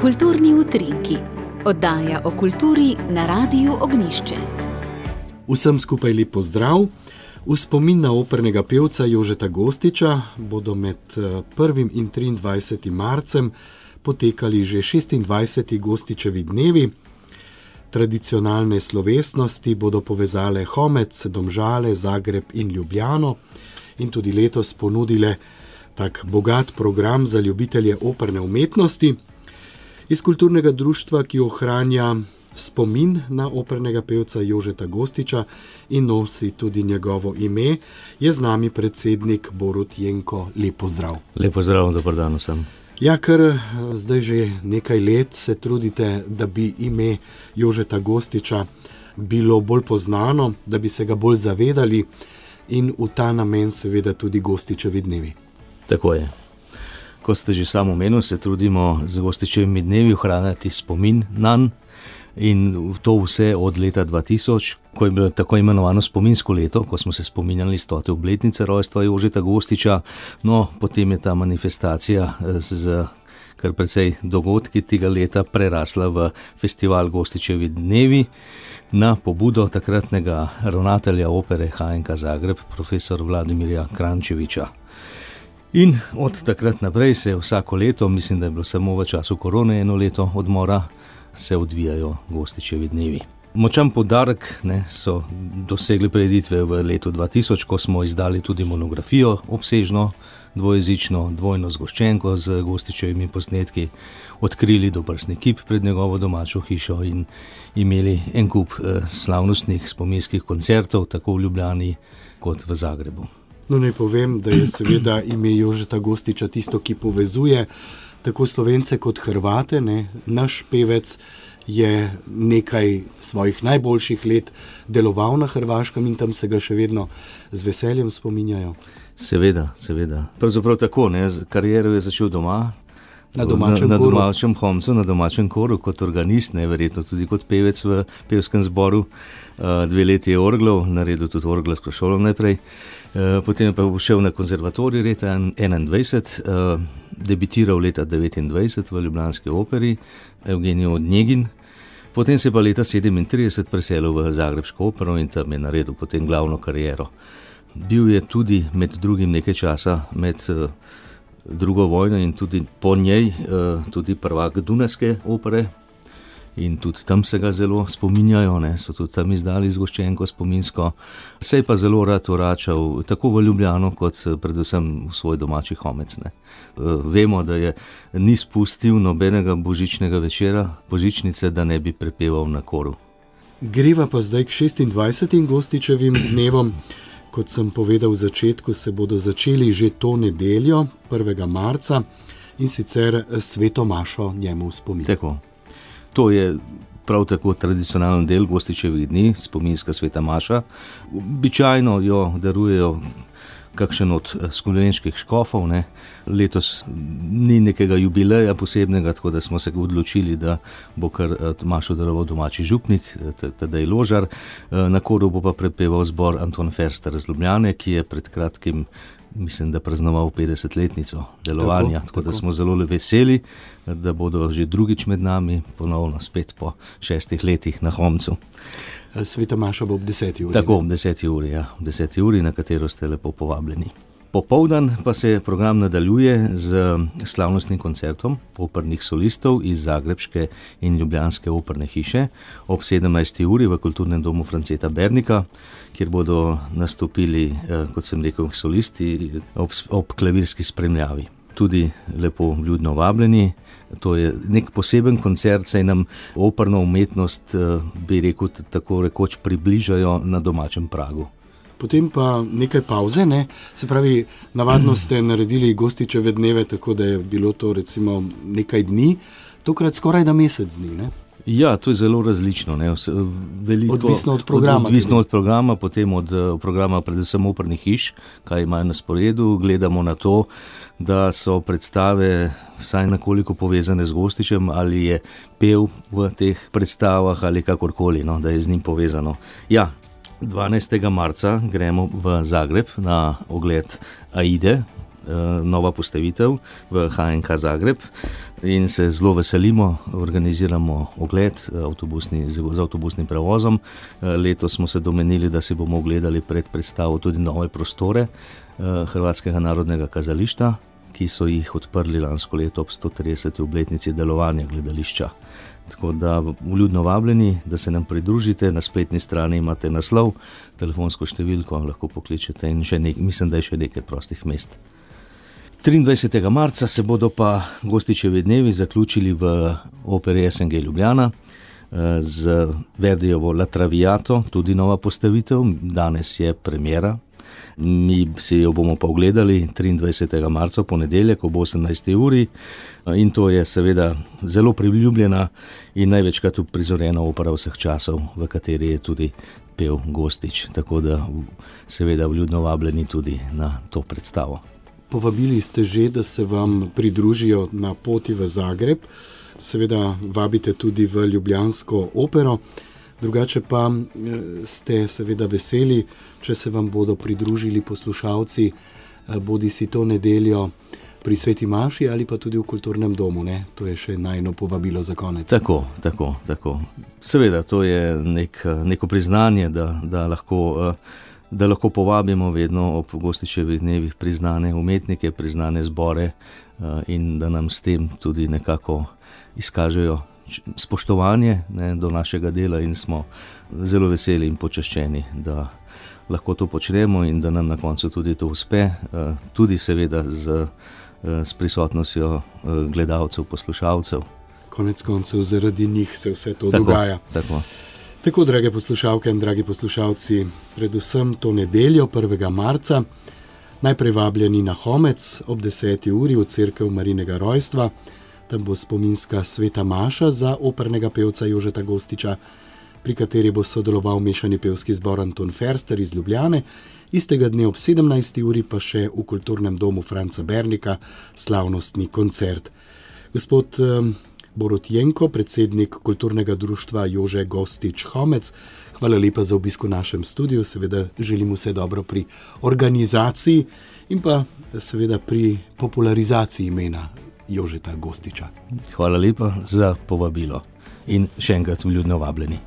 Kulturni utrinki, oddaja o kulturi na Radiu Ognjišče. Vsem skupaj lep pozdrav. V spomin na opernega pevca Jožeta Gostiča bodo med 1. in 23. marcem potekali že 26. Gostičevi dnevi. Tradicionalne slovesnosti bodo povezale Homec, Domžale, Zagreb in Ljubljano in tudi letos ponudile tak bogat program za ljubitelje operne umetnosti. Iz kulturnega društva, ki ohranja spomin na opernega pevca Jožeta Gostiča in nosi tudi njegovo ime, je z nami predsednik Borut Jenko. Lep pozdrav. Lep pozdrav, dober dan vsem. Ja, ker zdaj že nekaj let se trudite, da bi ime Jožeta Gostiča bilo bolj poznano, da bi se ga bolj zavedali in v ta namen seveda tudi Gostičevi dnevi. Tako je. Ko ste že sam omenil, se trudimo z Gostičevimi dnevi ohranjati spomin nanj in to vse od leta 2000, ko je bilo tako imenovano spominsko leto, ko smo se spominjali 100. obletnice rojstva Jožeta Gostiča. No, potem je ta manifestacija z kar precej dogodki tega leta prerasla v festival Gostičevi dnevi na pobudo takratnega ravnatelja opere HNK Zagreb, profesor Vladimirja Krančeviča. In od takrat naprej se vsako leto, mislim, da je bilo samo v času korone eno leto odmora, se odvijajo Gostičevi dnevi. Močan poudarek so dosegli prireditve v letu 2000, ko smo izdali tudi monografijo obsežno, dvojezično, dvojno zgoščenko z Gostičevimi posnetki, odkrili dobrstni kip pred njegovo domačo hišo in imeli en kup slavnostnih spominskih koncertov, tako v Ljubljani kot v Zagrebu. No, naj povem, da je seveda ime Jožeta Gostiča tisto, ki povezuje tako Slovence kot Hrvate. Naš pevec je nekaj svojih najboljših let deloval na Hrvaškem in tam se ga še vedno z veseljem spominjajo. Seveda. Pravzaprav tako, kariero je začel doma, na domačem Homcu, na domačem koru, kot organist, verjetno tudi kot pevec v pevskem zboru. 2 leti je orglal, naredil tudi orglarsko šolo najprej. Potem je pa šel na konzervatorij leta 21, debitiral leta 29 v ljubljanski operi Evgenij Onegin. Potem se pa leta 37 preselil v zagrebško opero in tam je naredil potem glavno kariero. Bil je tudi med drugim nekaj časa med drugo vojno in tudi po njej tudi prvak Dunajske opere in tudi tam se ga zelo spominjajo, so tudi tam izdali zgoščenko spominsko. Se je pa zelo rad vračal tako v Ljubljano kot predvsem v svoj domači Homec. Vemo, da je ni spustil nobenega božičnega večera, božičnice, da ne bi prepeval na koru. Greva pa zdaj k 26. Gostičevim dnevom. Kot sem povedal v začetku, se bodo začeli že to nedeljo, 1. marca, in sicer sveto mašo njemu v spomin. Tako. To je prav tako tradicionalen del Gostičevih dni, spominska sveta maša. Običajno jo darujejo kakšen od slovenskih škofov. Letos ni nekega jubileja posebnega, tako da smo se odločili, da bo kar mašo daroval domači župnik, Tadej Ložar. Na koru bo pa prepeval zbor Anton Ferster iz Ljubljane, ki je pred kratkim, mislim, da praznoval 50-letnico delovanja. Tako da smo zelo veseli, da bodo že drugič med nami, ponovno spet po 6 letih na Homcu. Sveta maša bo ob 10. uri. Tako, ob 10. uri, ob 10. uri, na katero ste lepo povabljeni. Popoldan pa se program nadaljuje z slavnostnim koncertom opernih solistov iz zagrebške in ljubljanske operne hiše ob 17. uri v Kulturnem domu Franceta Bernika, kjer bodo nastopili, kot sem rekel, solisti ob klavirski spremljavi. Tudi lepo vljudno vabljeni. To je nek poseben koncert, saj nam operno umetnost, bi rekel, tako rekoč približajo na domačem pragu. Potem pa nekaj pavze, Se pravi, navadno ste naredili Gostičeve dneve, tako da je bilo to recimo nekaj dni, tokrat skoraj da mesec dni, Ja, to je zelo različno. Odvisno od programa. Odvisno od programa, potem od programa predvsem opernih hiš, kaj imajo na sporedu. Gledamo na to, da so predstave vsaj nekoliko povezane z Gostičem, ali je pel v teh predstavah ali kakorkoli, da je z njim povezano. Ja, 12. marca gremo v Zagreb na ogled Aide, nova postavitev v HNK Zagreb in se zelo veselimo, organiziramo ogled z avtobusnim prevozom. Letos smo se domenili, da si bomo ogledali pred predstavo tudi nove prostore Hrvatskega narodnega kazališča, ki so jih odprli lansko leto ob 130. obletnici delovanja gledališča. Tako da vljudno vabljeni, da se nam pridružite. Na spletni strani imate naslov, telefonsko številko, lahko pokličete in mislim, da je še nekaj prostih mest. 23. marca se bodo pa Gostičevi dnevi zaključili v operi SNG Ljubljana z Verdijevo La Traviato, tudi nova postavitev, danes je premiera. Mi si jo bomo pa ogledali 23. marca v ponedeljek ob 18. uri in to je seveda zelo priljubljena in največkrat uprizorjena opera vseh časov, v kateri je tudi pel Gostič, tako da seveda vljudno vabljeni tudi na to predstavo. Povabili ste že, da se vam pridružijo na poti v Zagreb, seveda vabite tudi v ljubljansko opero. Drugače pa ste seveda veseli, če se vam bodo pridružili poslušalci, bodi si to nedeljo pri Sveti maši ali pa tudi v kulturnem domu, ne? To je še najino povabilo za konec. Tako. Seveda, to je neko priznanje, da lahko povabimo vedno ob Gostičevih dnevih priznane umetnike, priznane zbore in da nam s tem tudi nekako izkažejo spoštovanje do našega dela in smo zelo veseli in počaščeni, da lahko to počnemo in da nam na koncu tudi to uspe, tudi seveda s prisotnostjo gledalcev, poslušalcev. Konec koncev zaradi njih se vse to dogaja. Tako, drage poslušalke in dragi poslušalci, predvsem to nedeljo 1. marca, najprej vabljeni na Homec ob 10. uri v cerkev Marijinega rojstva. Tam bo spominska sveta maša za opernega pevca Jožeta Gostiča, pri kateri bo sodeloval mešani pevski zbor Anton Ferster iz Ljubljane. Istega dne ob 17. uri pa še v kulturnem domu Franca Bernika slavnostni koncert. Gospod Borut Jenko, predsednik kulturnega društva Jože Gostič Homec, hvala lepa za obisk v našem studiu. Seveda želim vse dobro pri organizaciji in pa seveda pri popularizaciji imena Jožeta Gostiča. Hvala lepa za povabilo in še enkrat vljudno vabljeni.